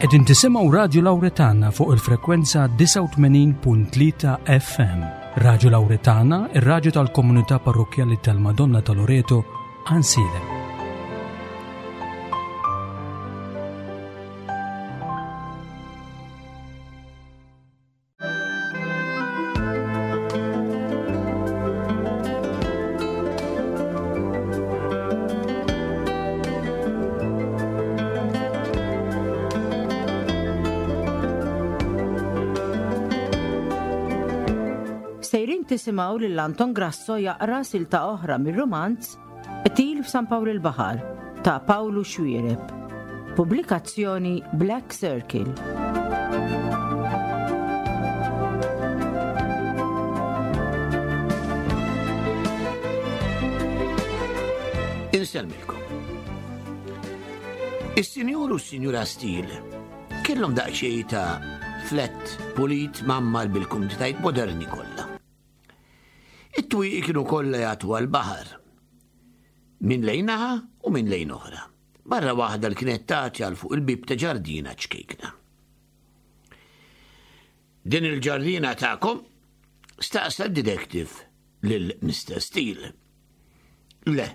Qegħdin tisimgħu Radju Lawretana fuq il-frekwenza 89.3 FM. Radju Lawretana, ir-radju tal-komunità parrokkjali tal-Madonna ta' Loreto, Ansilem. Sejrin tisimgħu lil Anton Grasso jaqra silta oħra mir-rumanz Qtil f'San Pawl il-Baħar ta' Pawlu Xuereb. Pubblikazzjoni Black Circle. Insellmilkom. Is-Sinjur u s-Sinjura Steele kellhom daqsxejn ta' flat pulit mgħammar bil-kumditajiet moderni kollha. It-twieqi kienu kollha jagħtu għall-baħar. Minn lejn naħa u minn lejn oħra. Barra waħda li kienet tagħti għal fuq il-bieb ta' ġardina ċkejkna. Din il-ġardina tagħkom? Staqsa d-detective lil Mr. Steele. Le,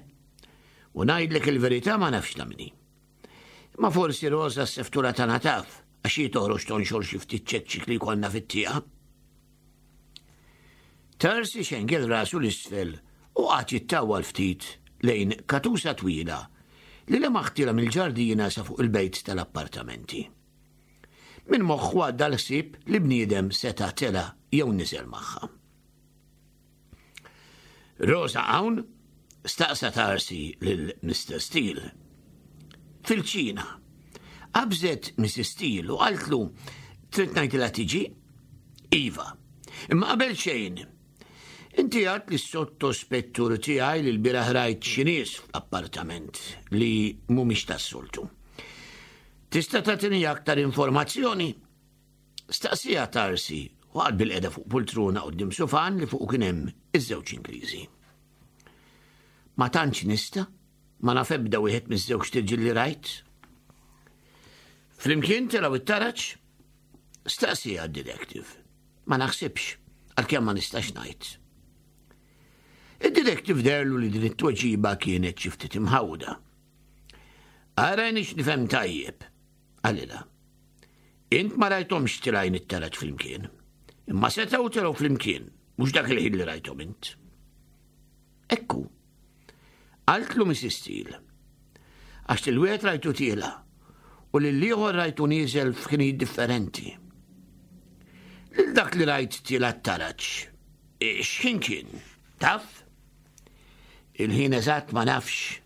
u ngħidlek il-verità ma nafx ta' minni. Ma forsi Rosa s-seftura tagħna taf, għax hi toħroġ tonxor xi ftit ċekċik li jkollna fit-tieqa. Tarsi xengel rasu l-isfel u qagħad jittawwal ftit lejn katusa twila li lemaħtilha mill-ġardina sa fuq il-bejt tal-appartamenti. Minn moħħu għadda l-ħsieb li bniedem seta' tela' jew niżel magħha. Rosa hawn? staqsa Tarsi lil Mr. Steele. Fil-ċina. Qabżet Mrs. Steele u qaltlu trid ngħidilha tiġi? Iva. Imma qabel xejn, inti għad li s-sottospettur tiegħi li l-bieraħ rajt xi nies fl-appartament li mhumiex tas-soltu. Tista' tagħtini aktar informazzjoni? Staqsieha Tarsi u qagħad bilqiegħda fuq pultruna quddiem sufan li fuqu kien hemm iż-żewġ Ingliżi. Ma tantx nista', ma naf ebda wieħed miż-żewġ tirġiel li rajt. Flimkien telgħu it-taraġ? Staqsieha d-detective. Ma naħsibx, għalkemm ma nistax ngħid. Id-detective derlu li din it-tweġiba kienet xi ftit imħawda. Ara nix nifhem tajjeb, qalilha. Int ma rajthomx tilgħin it-taraġ flimkien. Imma setgħu telgħu flimkien, mhux dak il-ħin li rajthom int. Ekku. Qaltlu Mrs. Steele. Għax lil wieħed rajtu tiela u lil ieħor rajtu nieżel f'ħinijiet differenti. Lil dak li rajt tiela t-taraġ, x'ħin kien? Taf? Il-ħin eżatt ma nafx,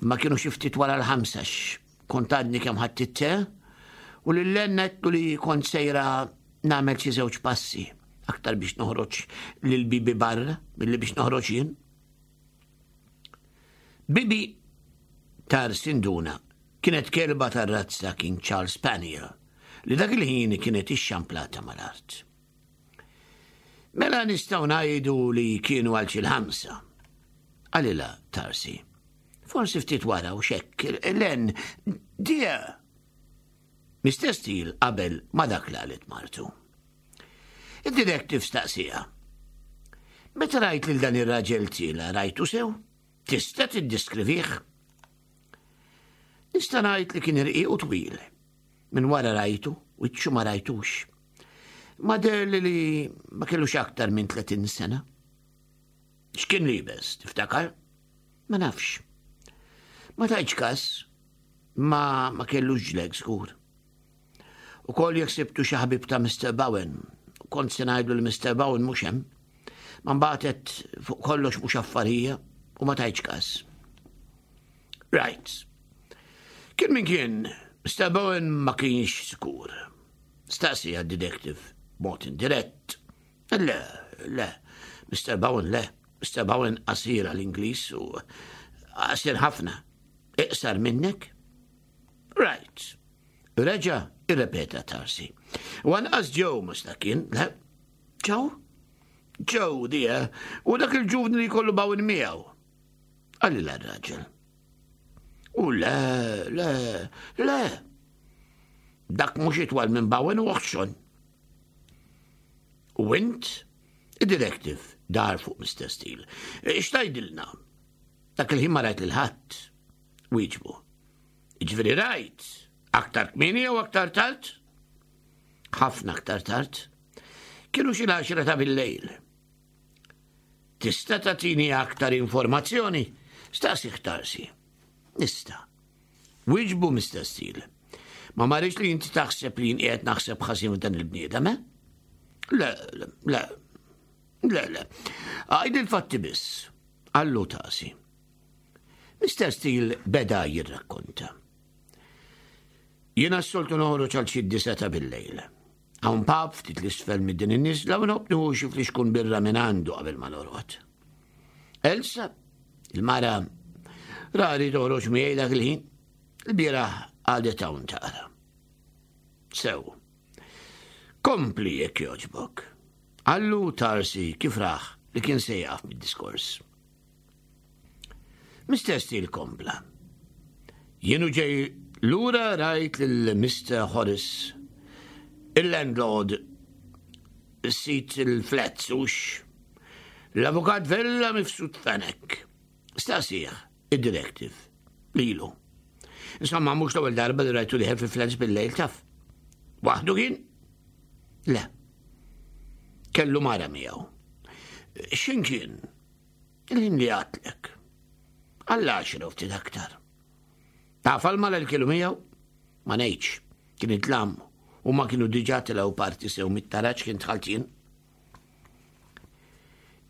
Imma kienu xi ftit wara l-ħamsa kont għadni kemm ħadt it-te u lil Len għedtlu li kont sejra nagħmel xi żewġ passi aktar biex noħroġ lil Bibi barra milli biex noħroġ jien. Bibi tar sinduna kienet kelba tar-razza King Charles Spaniel li dak il-ħin kienet ixxamplata mal-art. Mela nistgħu ngħidu li kienu għal xi l-ħamsa. Qalilha Tarsi. Forsi ftit wara u xekk, Len, dear. Mr. Steele qabel ma dak li qalet martu. Id-detective staqsija. Meta rajt lil dan ir-raġel tiela rajtu sew? Tista' tiddiskrivih? Nista' ngħid li kien irqiq u twil. Minn wara rajtu, wiċċu ma rajtux. Ma deherli li ma kellux aktar minn 30 sena. X'kien liebes, tiftakar? Ma nafx. Ma tajtx kas, ma ma kellux ġleg żgur. U koll jekk sibtu xi ħabib ta' Mr. Bowen, kont se ngħidlu li Mr. Bowen mhux hemm. Ma mbagħad fuq kollox mhux affarija u ma tajtx kas. Right. Kien min kien, Mr. Bowen ma kienx sikur. Staqsija d-detective b'mod indirett. Le, le, Mr. Bowen le, Mr. Bowen qasir għall-Ingliż u qasir ħafna. Iqsar minnek? Right. Reġa irrepeta Tarsi. U anqas Joe mhux dak kien, le? Joe? Joe, dear, u dak il-ġuvni li jkollu Bowen miegħu. Qalilha r-raġel. U le, le, le. Dak mhux itwal minn Bowen u oħxon. U int? Id-detective dar fuq Mr. Steele. X'tgħidilna? Dak il-ħin ma rajt lil ħadd. Wieġbu. Jiġifieri rajt, aktar kmieni jew aktar tard? Ħafna aktar tard. Kienu xi l-għaxra ta' bil-lejl. Tista' tagħtini aktar informazzjoni? Staqsi Tarsi. Nista'. Wieġbu Mr. Steele. Ma marriċ li inti taħseb li jien qiegħed naħseb ħażin f'dan il-bniedem, eh? Le, le, le, le, le. Għajd il-fatti biss. Allu tasi. Mr. Steele beda jirrakkonta. Jiena s-soltu noħroġ għal xi diseta bil-lejl. Hawn pub ftit l-isfel minn din in-niżla u nħobb nieħu xi flixkun birra minn għandu qabel ma norqod. Elsa, il-mara, rari toħroġ miegħi dak il-ħin. Il-bieraħ għadet hawn taqra. Sew. Kompli jekk jogħġbok. Allu Tarsi kif raħ li kien se jaf mid-diskors. Mr. Steele kompla. Jienu ġej lura rajt lil Mr. Horace, il-landlord, sit il-flats ux, l-avukat Vella mifsud Fenek. Staqsih, id-directive, lilu. Insomma, mhux l-ewwel darba li rajtu liħel fi flats bil-lejl taf. Waħdu kien? Le. Kellu mara miegħu. X'in kien? Il-ħin li għatlek. Għall-għaxra u ftit aktar. Taf għal mara li kienu miegħu? Ma ngħidx, kien itlam u ma kienu diġà tilgħu parti sew mit-taraġ kien dħalt jien.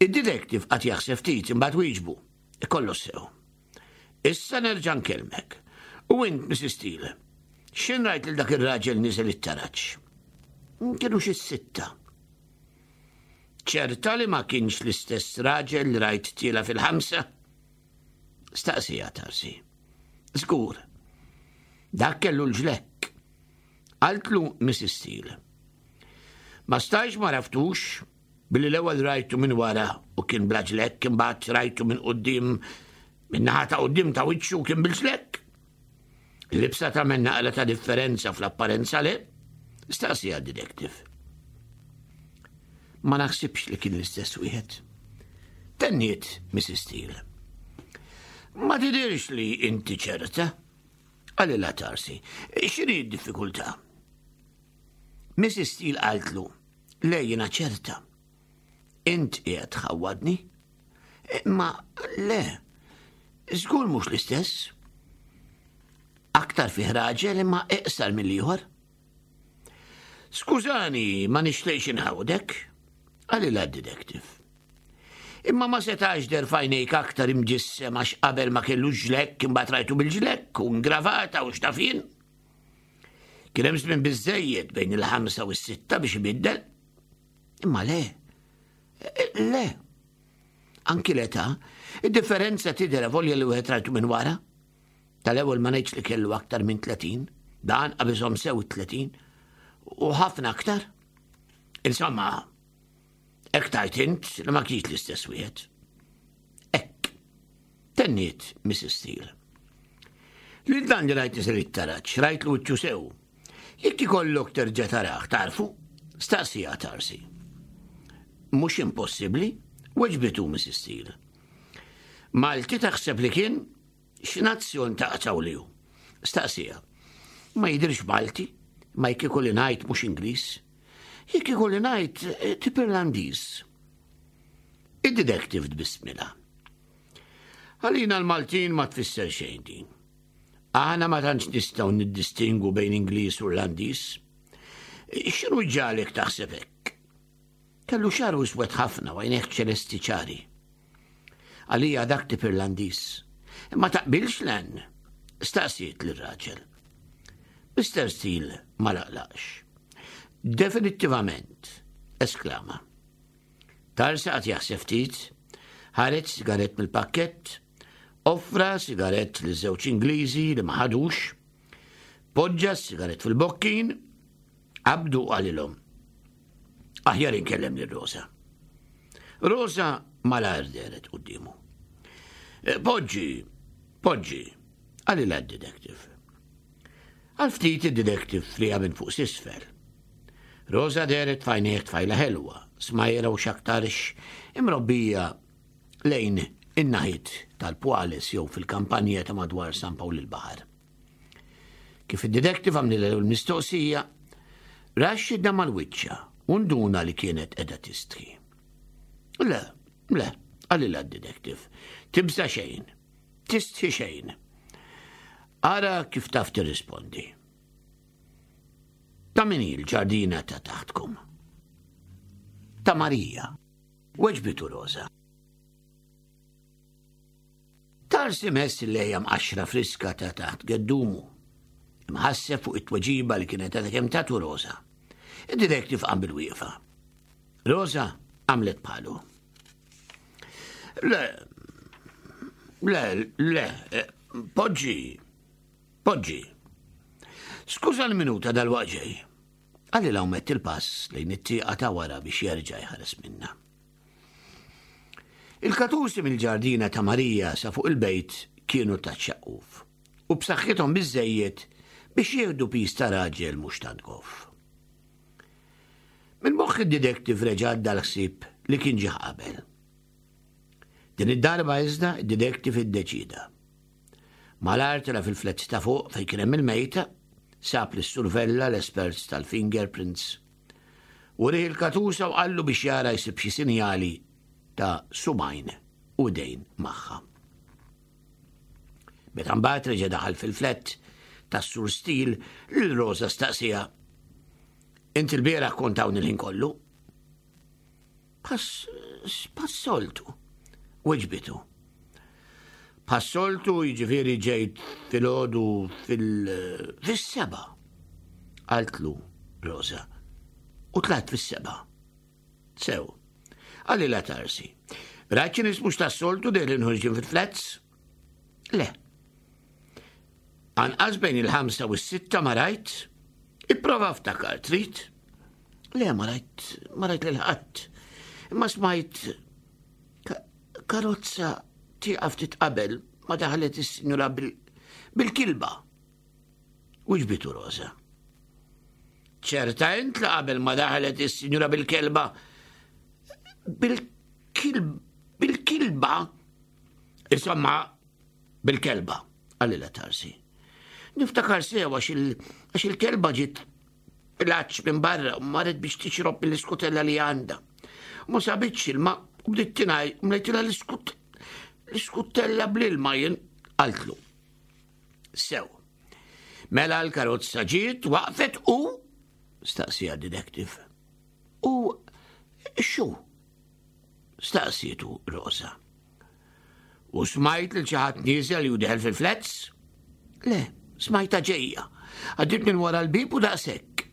Id-detective qatt jaħseb ftit imbagħad wieġbu. Ikollu sew. Issa nerġa' nkellmek. U int, Mrs. Steele, x'in rajt lil dak ir-raġel niżel it-taraġ? Kienu xi sitta. Ċerta li ma kienx l-istess raġel li rajt tiela fil-ħamsa? Staqsija Tarsi. Żgur. Dak kellu l-ġlekk. Qaltlu Mrs. Steele. Ma stajx ma raftux billi l-ewwel rajtu minn wara u kien bla ġlekk imbagħad rajtu minn quddiem minn naħa ta' quddiem ta' wiċċu kien bil-ġlekk. Il-libsa tagħmel naqra ta' differenza fl-apparenza le? Staqsija detective. Ma naħsibx li kien l-istess wieħed. Tenniet Mrs. Steele. Ma tidirx li inti ċerta? Qalilha Tarsi. X'inhi d-diffikultà? Mrs. Steele qaltlu, le jiena ċerta. Int qiegħed tħawwadni? Imma le, żgur mhux l-istess. Aktar fih raġel imma iqsar mill-ieħor. Skużani, ma nixtieqx inħawdek, qalilha d-detective. Imma ma setax der fajnejk aktar imġissem għax qabel ma kellux ġlekk imbagħad rajtu bil-ġlekk u ngravata u x'tafin. Kien hemm żmien biżejjed bejn il-ħamsa u s-sitta biex ibiddel. Imma le, le. Anki l-età, id-differenza tidher volja li wieħed rajtu minn wara. Tal-ewwel ma ngħidx li kellu aktar minn 30, dan qabiżhom sew 30 u ħafna aktar. Insomma, hekk tajt int li ma kienx l-istess wieħed. Hekk. Tenniet Mrs. Steele. Lil dan li rajt isir it-taraġ, rajt l sew. Jekk ikollok terġa' tarah, tarfu? Staqsija Tarsi. Mhux impossibbli, weġbitu Mrs. Steele. Malti taħseb li kien x'nazzjon taqtaw li hu? Staqsija. Ma jidhirx Malti, ma jekk ikolli ngħid mhux Ingliż. Jekk ikolli ngħid eh, tip Irlandiż. Id-detective tbissmilha. Għalina l-Maltin ma tfisser xejn din. Aħna ma tantx nistgħu niddistingwu bejn Ingliż u Irlandiż. X'inhu ġalek taħseb hekk? Kellu xaru iswed ħafna u għajnejh ċelesti ċari. Għalija dak tip Irlandiż. Imma taqbilx len? Staqsiet lir-raġel. Mr. Steele ma laqlaqx. Definittivament, esklama. Tarsa qagħad jaħseb ftit, ħareġ sigarett mill-pakkett, offra sigarett li żewġ Ingliżi li ma ħadux, poġġa s-sigarett fil-bokkin, qabdu qalilhom. Aħjar inkellem lil Rosa. Rosa malajr dehret quddiemu. Eh, poġġi, poġġi, qalilha d-detective. Għal ftit id-detective flija minn fuq s'isfel. Rosa dehret f'għajnejh tfajla ħelwa, smajra u x'aktarx imrobbija lejn in-naħiet tal-Pwales jew fil-kampanja ta' madwar San Pawl il-Baħar. Kif id-detective għamlilha l-mistoqsija, ra xidda mal-wiċċa u nduna li kienet qiegħda tistħi. Le, le, qalilha d-detective, tibża' xejn, tistħi xejn. Ara kif taf tirrispondi. Ta' min hi l-ġardina ta' taħtkom? Ta' Marija, weġbitu Rosa. Tarsi mess il-lejja mqaxxra friska ta' taħt geddumu. Imħasseb fuq it-tweġiba li kienet għadha kemm tatu Rosa. Id-detective qam bil-wieqfa. Rosa għamlet bħalu. Le, le, le, eh, poġġi, Poġġi. Skuża l-minuta dal-waqt ġej. Qalilha u mett il-pass lejn it-tieqa ta' wara biex jerġa' jħares minnha. Il-katusi mill-ġardina ta' Marija sa fuq il-bejt kienu ta' ċaqquf u b'saħħithom biżejjed biex jieħdu piż ta' raġel mhux tant goff. Minn moħħ id-detective reġa' għadda l-ħsieb li kien ġie qabel. Din id-darba iżda id-detective iddeċida. Malajr tela' fil-flats ta' fuq fejn kien hemm il-mejta, sab lis-Sur Vella, l-espert tal-fingerprints. Wrieh il-katusa u qallu biex jara jsib xi sinjali ta' subgħajn u idejn magħha. Meta mbagħad reġa' daħal fil-flat tas-Sur Steele, lil Rosa staqsiha, Int il-bieraħ kont hawn il-ħin kollu? Passoltu, weġbitu. Passoltu jiġifieri ġejt filgħodu fil-seba. Qaltlu Rosa. U tlaqt fis-seba. Sew. Għalli la tarsi. Rajt xi nies mhux tas-soltu dejlin ħorġin fil-flats? Le. Anqas bejn il-ħamsa u s-sitta ma rajt? Ipprova ftakar, trid? Le, ma rajt, ma rajt lil ħadd. Imma smajt karozza tieqaf ftit qabel ma daħlet is-sinjura bil-kilba. U ġbitu Rosa. Ċerta int li qabel ma daħlet is-sinjura bil-kelba bil-kilba insomma Bil-kelba, qalilha Tarsi. Niftakar sew għax il-kelba ġiet pilaċ minn barra u marret biex tixrob mill-iskutella li għandha. Ma sabitx ilma u bdiet tingħaj u mlejtilha l-iskutella bl-ilma jien qaltlu. Sew. Mela l-karozza ġiet waqfet u staqsija detective. U xu? Staqsietu Rosa. U smajt lil xi ħadd nieżel jew deħel fil-flats? Le, smajta ġejja. Għaddiet minn wara l-bib u daqshekk.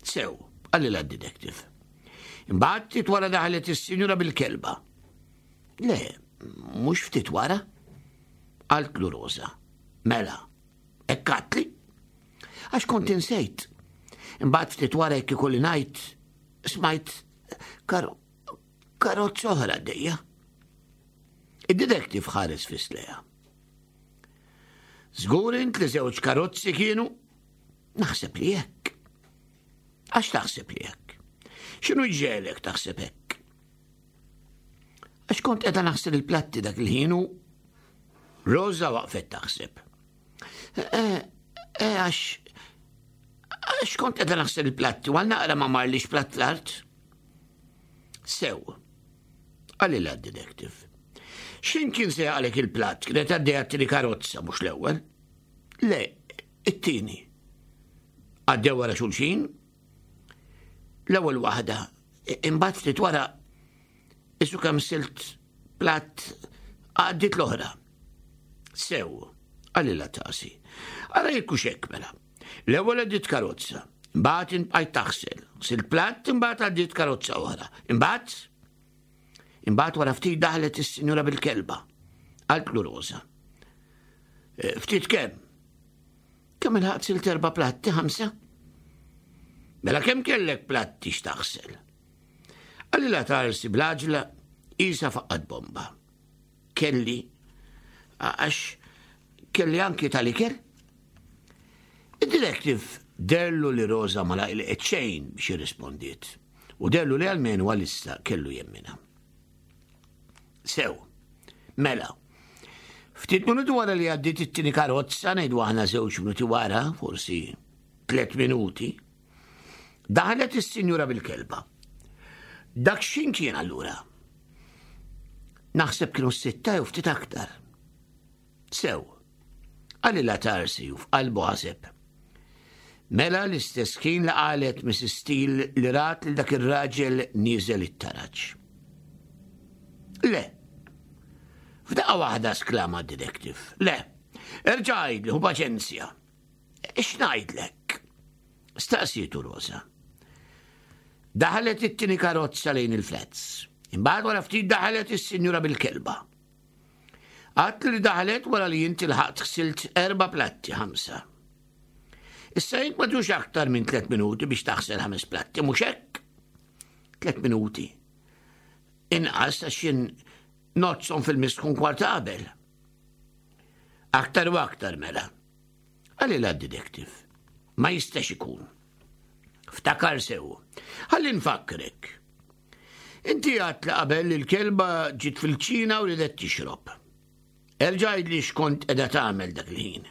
Sew, qalilha d-detective. Imbagħad ftit wara daħlet is-sinjura bil-kelba. Le, mhux ftit wara. Qaltlu Rosa. Mela, hekk għatli. Għax kont insejt. Imbagħad ftit wara jekk ikolli ngħid smajt kar karozza oħra għaddejja. Id-detective ħares fis-sleja. Żgur int li żewġ karozzi kienu? Naħseb li hekk. Għax taħseb li hekk? X'inhu jġegħlek taħseb hekk? Għax kont qiegħda naħsel il-platti dak il-ħin u Rosa waqfet taħseb. Eh, eh, għax għax kont qiegħda naħsel il-platti u għal naqra ma marlix platt l-art. Sew, qalilha d-detective. X'in kien se jaqalek il-platt kienet għaddejja t-tieni karozza mhux l-ewwel. Le, it-tieni. Għaddew wara xulxin. L-ewwel waħda, imbagħad ftit wara isu kemm silt platt għaddit l-oħra. Sew, qalilha tasi. Ara jekk hux hekk mela. L-ewwel għaddiet karozza, imbagħad inbqajt taħsel, ħsilt platt imbagħad għaddiet karozza oħra. Imbagħad imbagħad wara ftit daħlet is-sinjura bil-kelba. Qaltlu Rosa. Eh, ftit kemm? Kemm il-ħaqt silt erba' platti ħamsa? Mela kemm kellek platti x'taħsel? Qalilha tarsi bl-għaġla isa faqqat bomba. Kelli, għax kelli anki tal-ikel. Id-direttur Id-detective derlu li Rosa ma laqilqet xejn biex irrispondiet u derlu li almenu għalissa kellu jemmina. Sew, mela, ftit minuti wara li għaddiet it-tieni karozza ngħidu aħna żewġ minuti wara, forsi tliet minuti, daħlet is-sinjura bil-kelba. Dak x'in kien allura? Naħseb kienu s-sitta jew ftit aktar. Sew, qalilha Tarsi u f'qalbu ħaseb. Mela l-istess kien li qalet Mrs. Steele li rat lil dak ir-raġel nieżel it-taraġ. Le. F'daqqa waħda sklama d-detective. Le. Erġa' għidli, hu paċenzja. X'ngħidlek? Staqsietu Rosa. Daħlet it-tieni karozza lejn il-flats. Imbagħad wara ftit daħlet is-sinjura bil-kelba. Għat li daħlet wara li inti lħaqt ħsilt erba' platti ħamsa. Issa jink ma tux aktar minn tliet minuti biex taħsel ħames platti, mhux hekk? Tliet minuti. Inqas għax jien nozzhom fil-misħun kwarta qabel. Aktar u aktar mela. Għalli d-detective. Ma jistax ikun. Ftakar sew. Ħalli nfakkrek. Inti għat li qabel li l-kelba ġiet fil-ċina u ridet tixrob. Erġa' għidli x'kont qiegħda tagħmel dak il-ħin.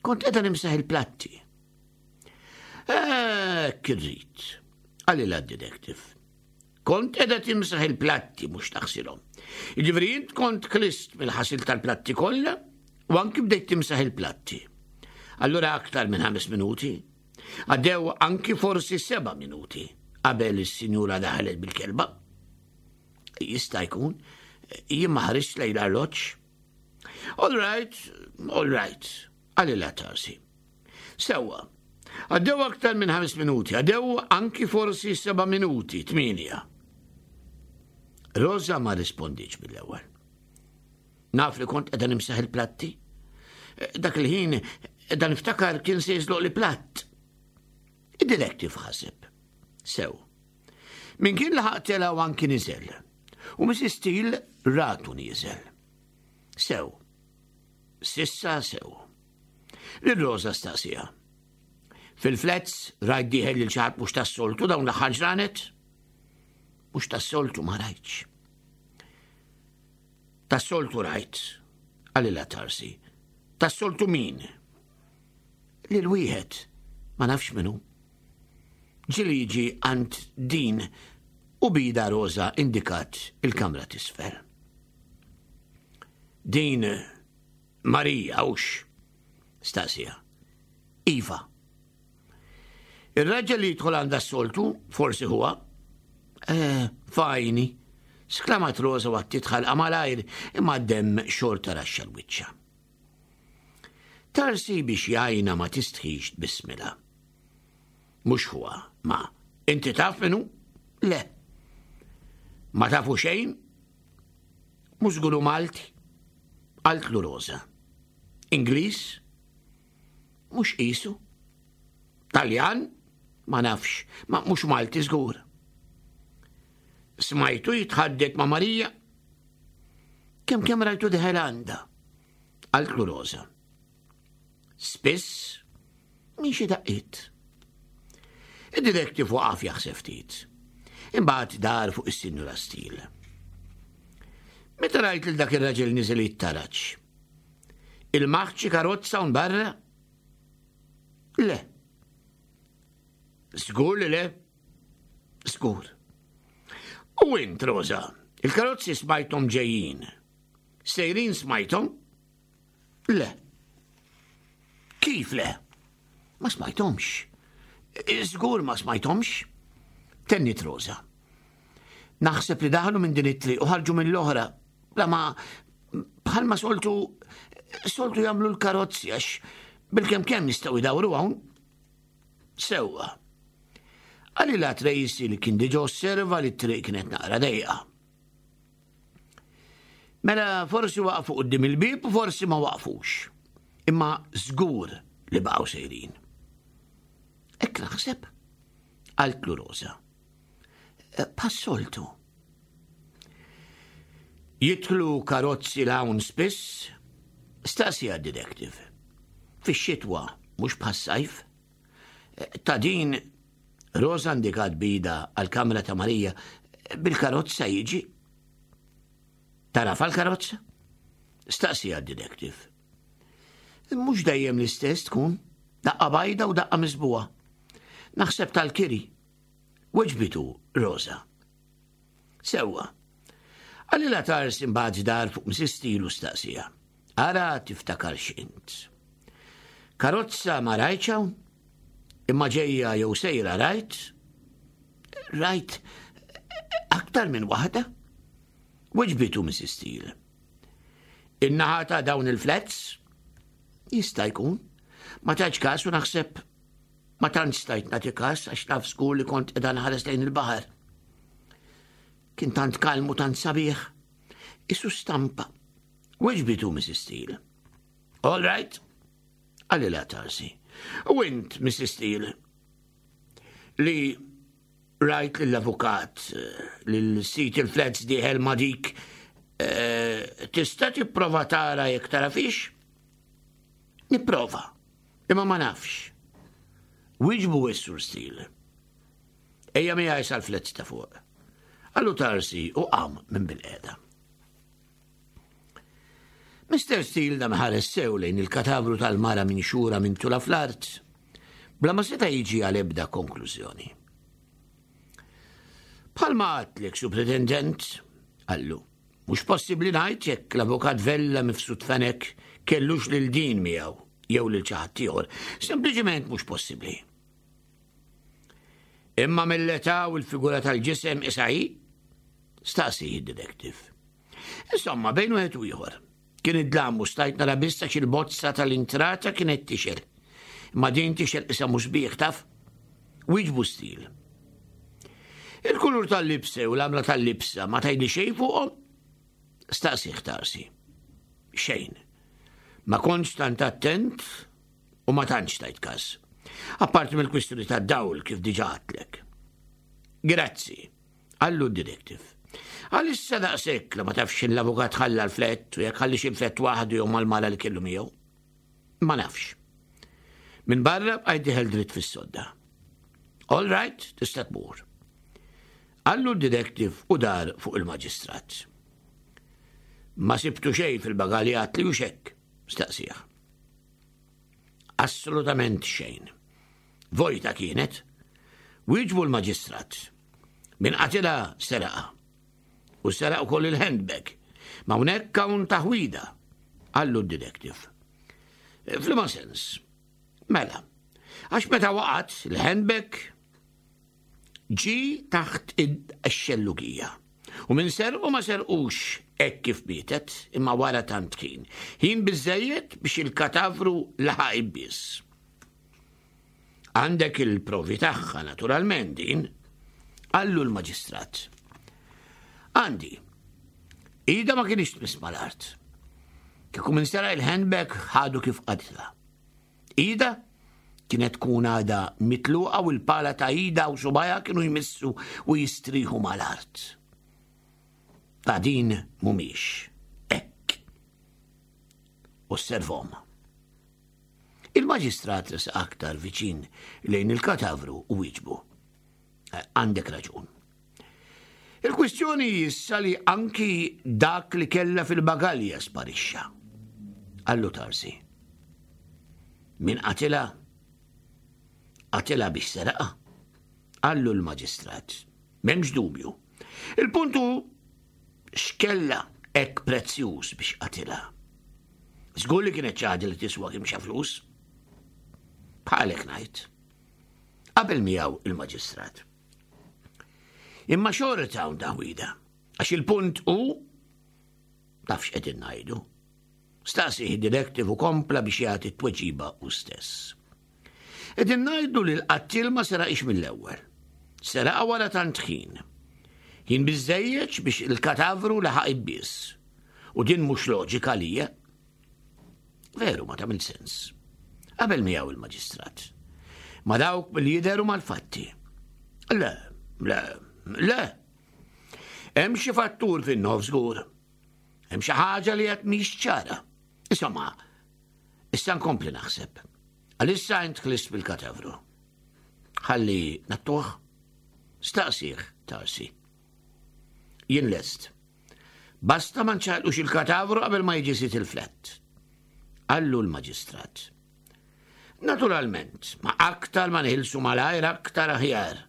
Kont qiegħda nimsaħ il-platti. Hekk irrid, qalilha d-detective. Kont qiegħda timsaħ il-platti mhux taħsilhom. Jiġifieri int kont klist mill-ħasil tal-platti kollha u anki bdejt timsaħ il-platti. Allura aktar minn ħames minuti. Għaddew anki forsi seba' minuti qabel is-sinjura daħlet bil-kelba. Jista' jkun, jien ma ħarist lejn l-arloġġ. All right, all right, qalilha Tarsi. Sewwa, għaddew aktar minn ħames minuti, għaddew anki forsi seba' minuti, tmienja. Rosa ma rispondiċ mill-ewwel. Naf li kont qiegħda nimsaħ il-platti. Dak il-ħin qiegħda niftakar kien se jiżloq li platt. Id-detective ħaseb. Sew. Min kien laħaq tela u anki niżel. U Mrs. Steele ratu nieżel. Sew. Sissa sew. Lil Rosa staqsija. Fil-flats rajt dieħel lil xi ħadd mhux tas-soltu dawn l-aħħar ġranet? Mhux tas-soltu ma rajtx. Tas-soltu rajt, qalilha Tarsi. Tas-soltu min? Lil wieħed, ma nafx min hu. Ġieli jiġi għand din u bida Rosa indikat il-kamra t'isfel. Din Marija hux? Staqsija. Iva. Ir-raġel li jidħol għandha s-soltu, forsi huwa. Eh, fajni, sklamat Rosa waqt tidħal malajr imma d-demm xorta raxxa l-wiċċa. Tarsi biex jajna ma tistħix tbismilha. Mhux huwa, ma inti taf minnu? Le. Ma tafu xejn? Mhux żguru Malti? Qaltlu Rosa. Ingliż? Mhux qisu. Taljan? Ma nafx, ma mhux Malti żgur. Smajtu jitħaddet ma' Marija? Kemm kemm rajtu deħel għandha? Qaltlu Rosa. Spiss minn xi daqqiet. Id-detective waqaf jaħseb ftit. Imbagħad dar fuq is-Sinjura Steele. Meta rajt lil dak ir-raġel niżel jittaraġ, Il-maħt xi karozza hawn barra? Le. Żgur li le? Żgur. U int, Rosa, il-karozzi smajthom ġejjin. Sejrin smajthom? Le. Kif le? Ma smajthomx. Żgur ma smajthomx. Tennit Rosa. Naħseb li daħlu minn din it-triq u ħarġu mill-oħra. Bla ma bħalma soltu soltu jagħmlu l-karozzi għax bil-kemm kemm jistgħu jdawru hawn. Sewwa. Qalilha Tracy li kien diġà osserva li t-triq kienet naqra dejqa. Mela forsi waqfu qudiem il-bieb u forsi ma waqfux. Imma żgur li baqgħu sejrin. Hekk naħseb, qaltlu Rosa. Eh, Passoltu. Jidħlu karozzi 'l hawn spiss? Staqsieha d-detective. Fix-xitwa, mhux bħas-sajf. Ta' din Rosa indikat bida għall-kamra ta' Marija bil-karozza jiġi. Tarafa l-karozza? Staqsija d-detective. Mhux dejjem l-istess tkun, daqqa bajda u daqqa miżbuha. Naħseb tal-kiri. Weġbitu Rosa. Sewwa. Qalilha Tars imbagħad dar fuq Mrs. Steele u staqsieha. Ara tiftakarx int. Karozza ma rajtx hawn? Imma ġejja jew sejra rajt? Rajt aktar minn waħda? Weġbitu Mrs. Steele. In-naħa ta' dawn il-flats? Jista' jkun. Ma taġ każ u naħseb Ma tantx stajt nagħti kas għax naf żgur li kont qiegħda nħares lejn il-baħar. Kien tant kalm u tant sabiħ. Isu stampa. Weġbitu Mrs. Steele. All right, għalila Tarsi. U int, Mrs. Steele, li rajt l-avukat l-sit il-flats diħel ma dik eh, tista tipprova tara jekk tara fix? Nipprova. Imma ma nafx. Wieġbu s-Sur Steele. Ejja miegħi sal-flett ta' fuq. Qallu Tarsi u qam minn bil-qiegħda. Mr. Steele dam ħares sew lejn il-katavru tal-mara minn xura minn tula fl-art, bla ma seta' jiġi għal ebda konklużjoni. Bħalma għadtlek, Supretendent, qallu, Mhux possibbli ngħid jekk l-Avukat Vella Mifsud Fenech kellux lil din miegħu jew lil xi ħadd ieħor. Sempliċement mhux possibbli. Imma mill-età u l-figura tal-ġisem isa hi? Staqsi id-detective. Insomma, bejn wieħed u ieħor. Kien id-dlam u stajt nara biss għax il-bozza tal-intrata kienet tixel. Imma din tixel qisha mhux sbieħ taf. Wieġbu stil. Il-kulur tal-libsa u l-għamla tal-libsa ma tgħidli xejn fuqhom? Staqsih tarsi. Xejn. Ma kontx tant attent u ma tantx tajt każ. Apparti mill-kwistjoni tad-dawl kif diġà għadtlek. Grazzi. Qallu d-detective. Għalissa daqshekk li ma tafx l-avukat ħalla l-flett u jekk ħallix il-flett waħdu jew mal-mara li kellu miegħu. Ma nafx. Minn barra bqajt diħel dritt fis-sodda. All right, tista' tmur. Qallu d-detective u dar fuq il-maġistrat. Ma sibtu xejn fil-bagalja li u xekk, staqsih. Assolutament xejn. Vojta kienet. Wieġbu l-maġistrat. Min qatilha seraqha. U seraq ukoll il-handbag. Ma hawnhekk hawn taħwida, qallu d-detective. F'liema sens? Mela, għax meta waqgħet il-handbag ġi taħt id-xellugija. U min serqu ma serqux hekk kif mietet, imma wara tant kien. Ħin biżejjed biex il-katavru laħaq ibbies. Għandek il-provi tagħha naturalment din, qallu l-maġistrat. Għandi. Ida ma kienx tmiss mal-art. Kieku minn sera il-handbag ħadu kif qatla. Ida kienet tkun għada mitluqa u l-pala ta' ida u subajha kienu jmissu u jistriħu mal-art. Ta' din mumiex. Ekk. Osservom. Il-maġistrat resaq aktar viċin lejn il-katavru u wieġbu. Eh, għandek raġun. Il-kwistjoni issa li anki dak li kella fil-bagalja sparixxa. Allu Tarsi. Min qatila? Qatila biex seraqa. Allu l-maġistrat. M'hemmx dubju. Il-puntu x'kella hekk prezzjuż biex qatilha. Żgur li kienet xi ħaġa li tiswa kemm xa flus. Bħalek ngħid. Qabel miegħu il-maġistrat. Imma xorta hawn taħwida, għax il-punt hu taf x'qegħdin ngħidu. Staqsih id-detective u kompla biex jagħti t-tweġiba hu stess. Qegħdin ngħidu li l-qattiel ma seraqix mill-ewwel. Seraqa wara tant ħin. Ħin biżejjed biex il-katavru laħaq ibbies. U din mhux loġika lija. Veru ma tagħmel sens. Qabel miegħu il-maġistrat. Ma dawk mill-jidher u mal-fatti. Le, le, le. Hemm xi fattur fin-nofs żgur. Hemm xi ħaġa li qed mhix ċara. Insomma, issa nkompli naħseb. Għalissa int ħlist bil-katavru. Ħalli nattuh? Staqsih, Tarsi. Jien lest. Basta ma nċaqlux il-katavru qabel ma jiġi sit il-flett. Qallu l-maġistrat. Naturalment, ma aktar ma nħilsu malajr aktar aħjar.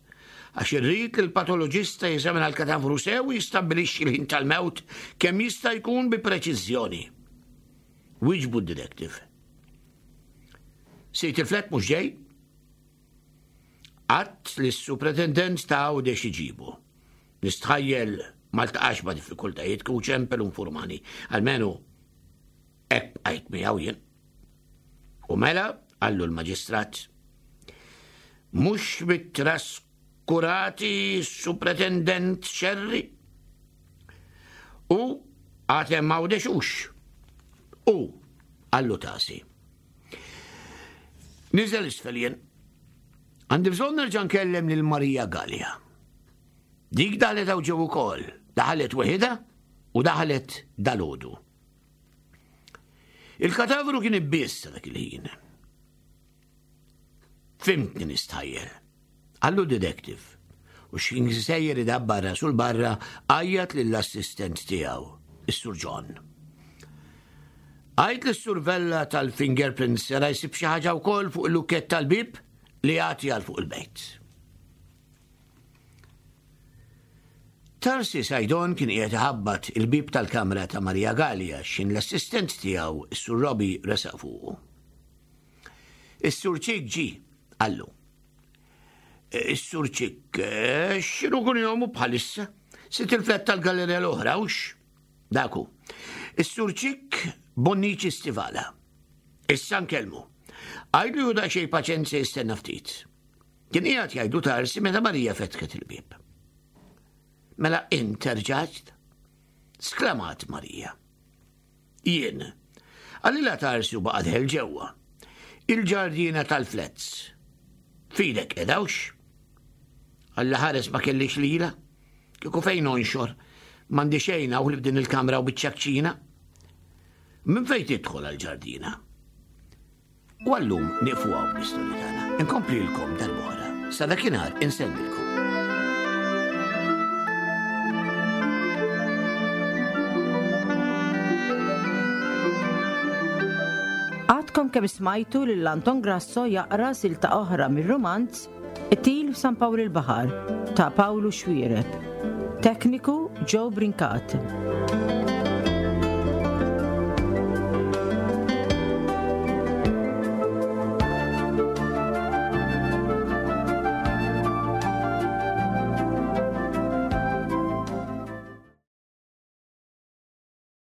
Għax irrid li l-patoloġista jeżamina l-katavru sew u jistabbilixxi l-ħin tal-mewt kemm jista' jkun bi preċiżjoni. Wieġbu d-detective. Sejt il-flet mhux ġej? Għadt li s-supretendent ta' Għawdex iġibu. Nistħajjel ma ltaqax ma' diffikultajiet kieku ċempel u nfurmani. Almenu hekk bqajt miegħu jien. U mela, qallu l-maġistrat, mhux bit-traskurati s-supretendent Xerri? U għad hemm Għawdex hux? U, qallu Tasi. Niżel isfel jien. Għandi bżonn nerġa' nkellem lil Marija Gallia. Dik daħlet hawn ġew ukoll, daħlet weħidha u daħlet dalodu. Il-katavru kien ibbiss dak il-ħin. Fimtni nistħajjel. Qallu detective. U x'kien sejjer idabbar rasu 'l barra għajjat lill-assistent tiegħu, is-Sur John. Għid lis-Sur Vella tal-fingerprints sera jsib xi ħaġa wkoll fuq il-lukkett tal-bieb li jagħti għal fuq il-bejt. Tarsi Sajdon kien qiegħed iħabbat il-bieb tal-kamra ta' Maria Gallia x'in l-assistent tiegħu, is-Sur Robbie, resaq fuqu. Is-Sur Ċik ġie, qallu. Is-Sur Ċik, eh, x'inhu kun jomu bħalissa? Sit il-flet tal-gallerija l-oħra, hux? Daku. Is-Sur Ċik Bonnici Stivala. Issa nkellmu. Għidlu ju daqsxejn paċenzja jistenna ftit. Kien qiegħed jgħidu tarsi meta Marija fetħet il-bieb. Mela int erġajt? Sklamat Marija. Jien. Qalilha Tarsi u baqa' dħel ġewwa. Il-ġardina tal-flats. F'idek qiegħda hux? Alla ħares ma kellix lila. Kieku fejn onxor. M'għandi xejn hawn ħlief din il-kamra u biċċa kċina. Minn fejn tidħol għall-ġardina? U għallum nieqfu hawn bl-istorja tagħna. Inkomplilkom darb'oħra. Sa dakinhar insellmilkom. Għadkom kemm smajtu lil Anton Grasso jaqra silta oħra mir-rumanz Qtil f'San Pawl il-Baħar ta' Pawlu Xuereb. Tekniku Joe Brincat.